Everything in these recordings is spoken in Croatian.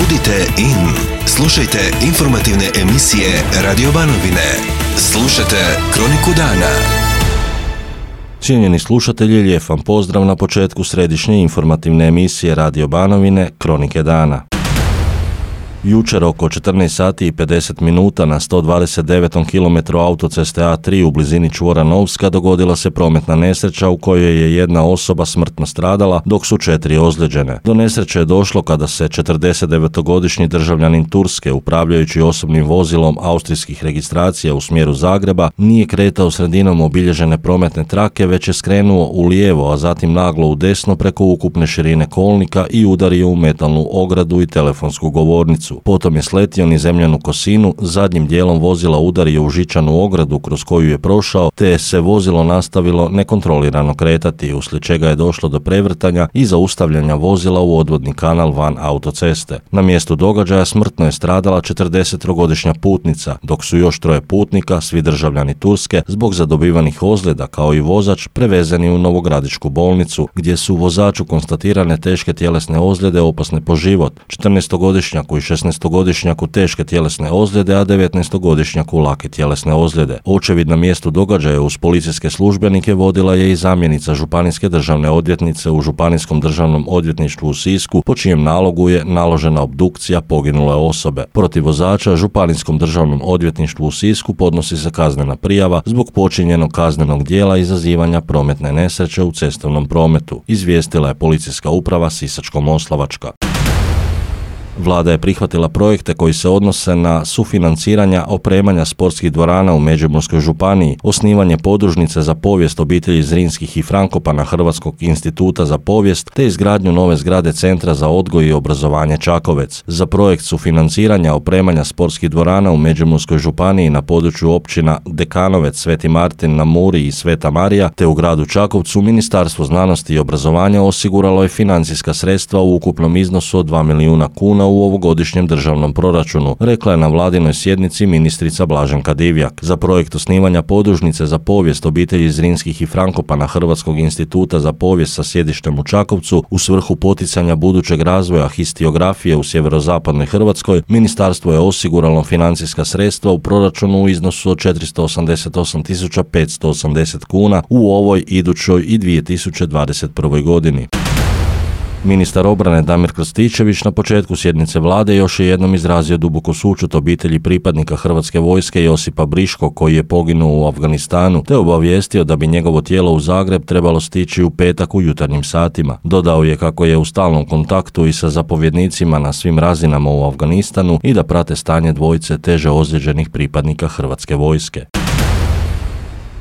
Budite in. Slušajte informativne emisije Radio Banovine. Slušajte Kroniku dana. Cijenjeni slušatelji, lijep vam pozdrav na početku središnje informativne emisije Radio Banovine Kronike dana. Jučer oko 14 sati i 50 minuta na 129. kilometru autoceste A3 u blizini čvora Novska dogodila se prometna nesreća u kojoj je jedna osoba smrtno stradala, dok su 4 ozlijeđene. Do nesreće je došlo kada se 49-godišnji državljanin Turske, upravljajući osobnim vozilom austrijskih registracija u smjeru Zagreba, nije kretao sredinom obilježene prometne trake, već je skrenuo u lijevo, a zatim naglo u desno preko ukupne širine kolnika i udario u metalnu ogradu i telefonsku govornicu. Potom je sletio niz zemljanu kosinu, zadnjim dijelom vozila udario u žičanu ogradu kroz koju je prošao, te se vozilo nastavilo nekontrolirano kretati, uslijed čega je došlo do prevrtanja i zaustavljanja vozila u odvodni kanal van autoceste. Na mjestu događaja smrtno je stradala 40-godišnja putnica, dok su još 3 putnika, svi državljani Turske, zbog zadobivanih ozljeda kao i vozač prevezeni u Novogradičku bolnicu, gdje su vozaču konstatirane teške tjelesne ozljede opasne po život, 14-godišnjaku i 16-godišnjaku teške tjelesne ozljede, a 19-godišnjaku lake tjelesne ozljede. Očevid na mjestu događaja uz policijske službenike vodila je i zamjenica županijske državne odvjetnice u Županijskom državnom odvjetništvu u Sisku, po čijem nalogu je naložena obdukcija poginule osobe. Protiv vozača Županijskom državnom odvjetništvu u Sisku podnosi se kaznena prijava zbog počinjenog kaznenog djela izazivanja prometne nesreće u cestovnom prometu, izvijestila je policijska uprava Sisačko-moslavačka. Vlada je prihvatila projekte koji se odnose na sufinanciranja opremanja sportskih dvorana u Međimurskoj županiji, osnivanje podružnice za povijest obitelji Zrinskih i Frankopana Hrvatskog instituta za povijest, te izgradnju nove zgrade Centra za odgoj i obrazovanje Čakovec. Za projekt sufinanciranja opremanja sportskih dvorana u Međimurskoj županiji na području općina Dekanovec, Sveti Martin na Muri i Sveta Marija, te u gradu Čakovcu, Ministarstvo znanosti i obrazovanja osiguralo je financijska sredstva u ukupnom iznosu od 2 milijuna kuna u ovogodišnjem državnom proračunu, rekla je na vladinoj sjednici ministrica Blaženka Divjak. Za projekt osnivanja podružnice za povijest obitelji Zrinskih i Frankopana Hrvatskog instituta za povijest sa sjedištem u Čakovcu u svrhu poticanja budućeg razvoja histiografije u sjeverozapadnoj Hrvatskoj, ministarstvo je osiguralo financijska sredstva u proračunu u iznosu od 488.580 kuna u ovoj, idućoj i 2021. godini. Ministar obrane Damir Krstičević na početku sjednice vlade još je jednom izrazio duboku sućut obitelji pripadnika Hrvatske vojske Josipa Briškog, koji je poginuo u Afganistanu, te obavijestio da bi njegovo tijelo u Zagreb trebalo stići u petak u jutarnjim satima. Dodao je kako je u stalnom kontaktu i sa zapovjednicima na svim razinama u Afganistanu i da prate stanje dvojice teže ozlijeđenih pripadnika Hrvatske vojske.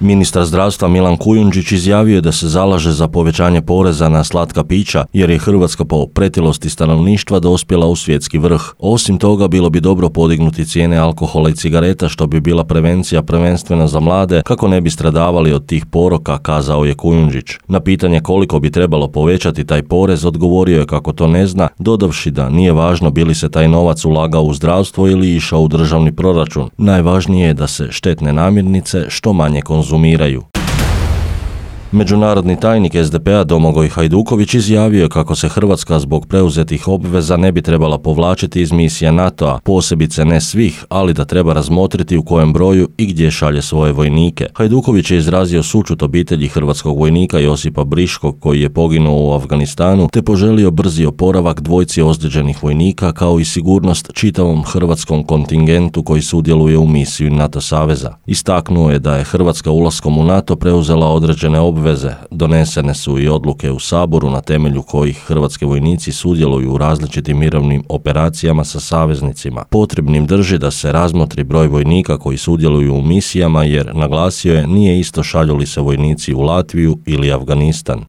Ministar zdravstva Milan Kujundžić izjavio je da se zalaže za povećanje poreza na slatka pića, jer je Hrvatska po pretilosti stanovništva dospjela u svjetski vrh. Osim toga, bilo bi dobro podignuti cijene alkohola i cigareta, što bi bila prevencija prvenstveno za mlade, kako ne bi stradavali od tih poroka, kazao je Kujundžić. Na pitanje koliko bi trebalo povećati taj porez, odgovorio je kako to ne zna, dodavši da nije važno bi li se taj novac ulagao u zdravstvo ili išao u državni proračun. Najvažnije je da se štetne namirnice što manje konzumiraju. Međunarodni tajnik SDP-a Domagoj Hajduković izjavio je kako se Hrvatska zbog preuzetih obveza ne bi trebala povlačiti iz misija NATO-a, posebice ne svih, ali da treba razmotriti u kojem broju i gdje šalje svoje vojnike. Hajduković je izrazio sućut obitelji hrvatskog vojnika Josipa Briškog, koji je poginuo u Afganistanu, te poželio brzi oporavak dvojci ozlijeđenih vojnika, kao i sigurnost čitavom hrvatskom kontingentu koji sudjeluje u misiji NATO saveza. Istaknuo je da je Hrvatska ulaskom u NATO preuzela određene obveze. Donesene su i odluke u Saboru na temelju kojih hrvatski vojnici sudjeluju u različitim mirovnim operacijama sa saveznicima. Potrebnim drži da se razmotri broj vojnika koji sudjeluju u misijama, jer, naglasio je, nije isto šalju li se vojnici u Latviju ili Afganistan.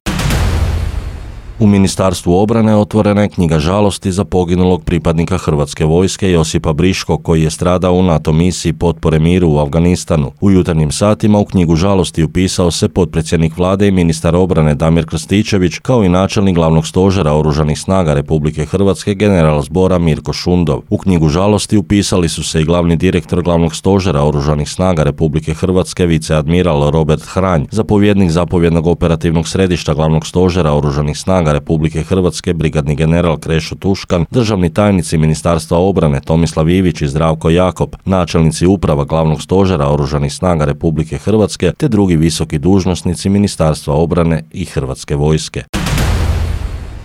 U Ministarstvu obrane otvorena je knjiga žalosti za poginulog pripadnika Hrvatske vojske Josipa Briškog, koji je stradao u NATO misiji potpore miru u Afganistanu. U jutarnjim satima u knjigu žalosti upisao se potpredsjednik vlade i ministar obrane Damir Krstičević, kao i načelnik glavnog stožera Oružanih snaga Republike Hrvatske general zbora Mirko Šundov. U knjigu žalosti upisali su se i glavni direktor glavnog stožera Oružanih snaga Republike Hrvatske viceadmiral Robert Hranj, zapovjednik zapovjednog operativnog središta glavnog stožera Oružanih snaga snaga Republike Hrvatske brigadni general Krešo Tuškan, državni tajnici Ministarstva obrane Tomislav Ivić i Zdravko Jakop, načelnici uprava Glavnog stožera Oružanih snaga Republike Hrvatske te drugi visoki dužnosnici Ministarstva obrane i Hrvatske vojske.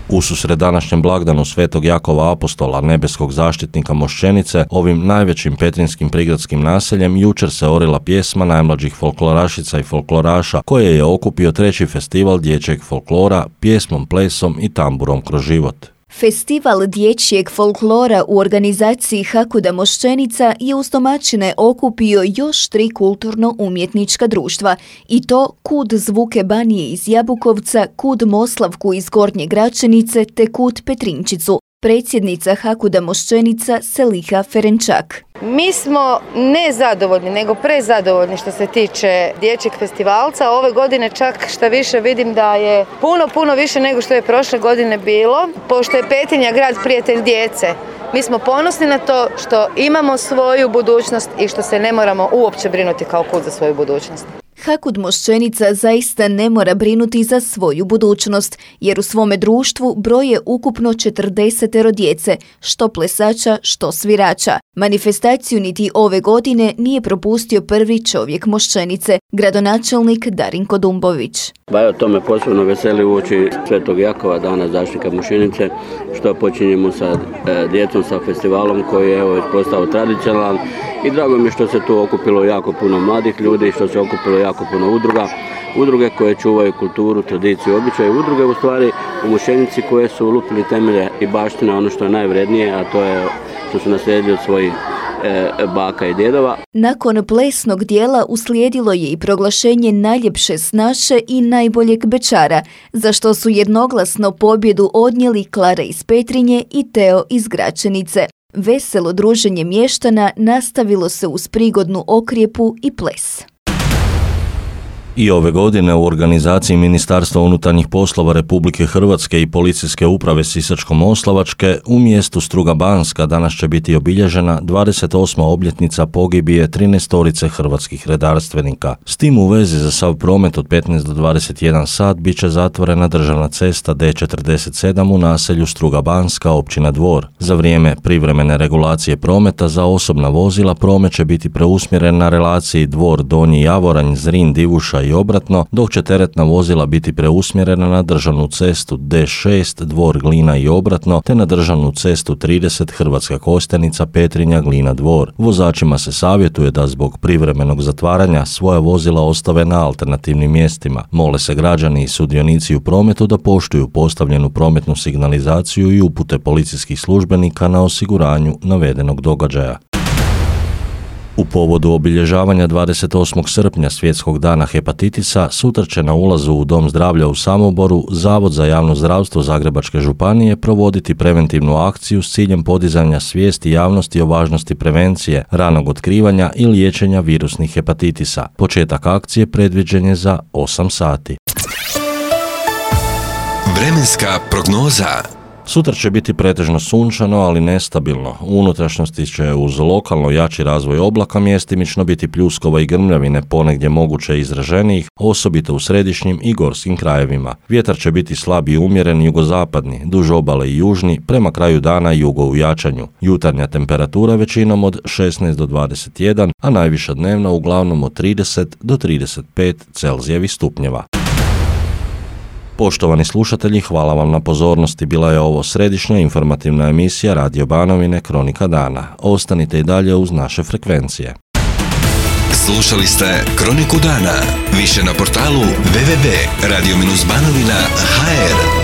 Ususret današnjem blagdanu Svetog Jakova Apostola, nebeskog zaštitnika Mošćenice, ovim najvećim petrinjskim prigradskim naseljem jučer se orila pjesma najmlađih folklorašica i folkloraša koje je okupio 3. festival dječjeg folklora pjesmom, plesom i tamburom kroz život. Festival dječjeg folklora u organizaciji Hakuda Mošćenica je uz domaćine okupio još 3 kulturno-umjetnička društva i to Kud Zvuke Banije iz Jabukovca, Kud Moslavku iz Gornje Gračenice te Kud Petrinčicu. Predsjednica Hakuda Mošćenica Seliha Ferenčak. Mi smo ne zadovoljni, nego prezadovoljni što se tiče dječjeg festivalca. Ove godine čak šta više vidim da je puno više nego što je prošle godine bilo, pošto je Petrinja grad prijatelj djece. Mi smo ponosni na to što imamo svoju budućnost i što se ne moramo uopće brinuti kao Kud za svoju budućnost. Hakud Mošćenica zaista ne mora brinuti za svoju budućnost, jer u svome društvu broje ukupno 40 djece, što plesača, što svirača. Manifestaciju niti ove godine nije propustio prvi čovjek Mošćenice, gradonačelnik Darinko Dumbović. To me posebno veseli uoči Svetog Jakova, dana zaštitnika Mošćenice, što počinjemo sa djecom, sa festivalom koji je postao tradicionalan. I drago mi je što se tu okupilo jako puno mladih ljudi, što se okupilo jako puno udruge koje čuvaju kulturu, tradiciju, običaje, udruge u stvari u Mošćenici koje su lupili temelje i baštine ono što je najvrednije, a to je što su naslijedili od svojih baka i djedova. Nakon plesnog dijela uslijedilo je i proglašenje najljepše snaše i najboljeg bečara, za što su jednoglasno pobjedu odnijeli Klara iz Petrinje i Teo iz Gračenice. Veselo druženje mještana nastavilo se uz prigodnu okrijepu i ples. I ove godine u organizaciji Ministarstva unutarnjih poslova Republike Hrvatske i Policijske uprave Sisačko-moslavačke u mjestu Struga Banska danas će biti obilježena 28. obljetnica pogibije 13 hrvatskih redarstvenika. S tim u vezi za sav promet od 15 do 21 sat bit će zatvorena državna cesta D47 u naselju Struga Banska, općina Dvor. Za vrijeme privremene regulacije prometa za osobna vozila promet će biti preusmjeren na relaciji Dvor Donji Javoranj, Zrin, Divuša i obratno, dok će teretna vozila biti preusmjerena na državnu cestu D6 Dvor Glina i obratno, te na državnu cestu 30 Hrvatska Kostajnica Petrinja Glina Dvor. Vozačima se savjetuje da zbog privremenog zatvaranja svoja vozila ostave na alternativnim mjestima. Mole se građani i sudionici u prometu da poštuju postavljenu prometnu signalizaciju i upute policijskih službenika na osiguranju navedenog događaja. U povodu obilježavanja 28. srpnja Svjetskog dana hepatitisa sutra će na ulazu u Dom zdravlja u Samoboru Zavod za javno zdravstvo Zagrebačke županije provoditi preventivnu akciju s ciljem podizanja svijesti javnosti o važnosti prevencije, ranog otkrivanja i liječenja virusnih hepatitisa. Početak akcije predviđen je za 8 sati. Vremenska prognoza. Sutra će biti pretežno sunčano, ali nestabilno. U unutrašnjosti će uz lokalno jači razvoj oblaka mjestimično biti pljuskova i grmljavine, ponegdje moguće izraženijih, osobito u središnjim i gorskim krajevima. Vjetar će biti slab i umjeren jugozapadni, duž obale i južni, prema kraju dana jugo u jačanju. Jutarnja temperatura većinom od 16 do 21, a najviša dnevna uglavnom od 30 do 35 Celzijevih stupnjeva. Poštovani slušatelji, hvala vam na pozornosti. Bila je ovo središnja informativna emisija Radio Banovine Kronika dana. Ostanite i dalje uz naše frekvencije. Slušali ste Kroniku dana. Više na portalu www.radio-banovina.hr.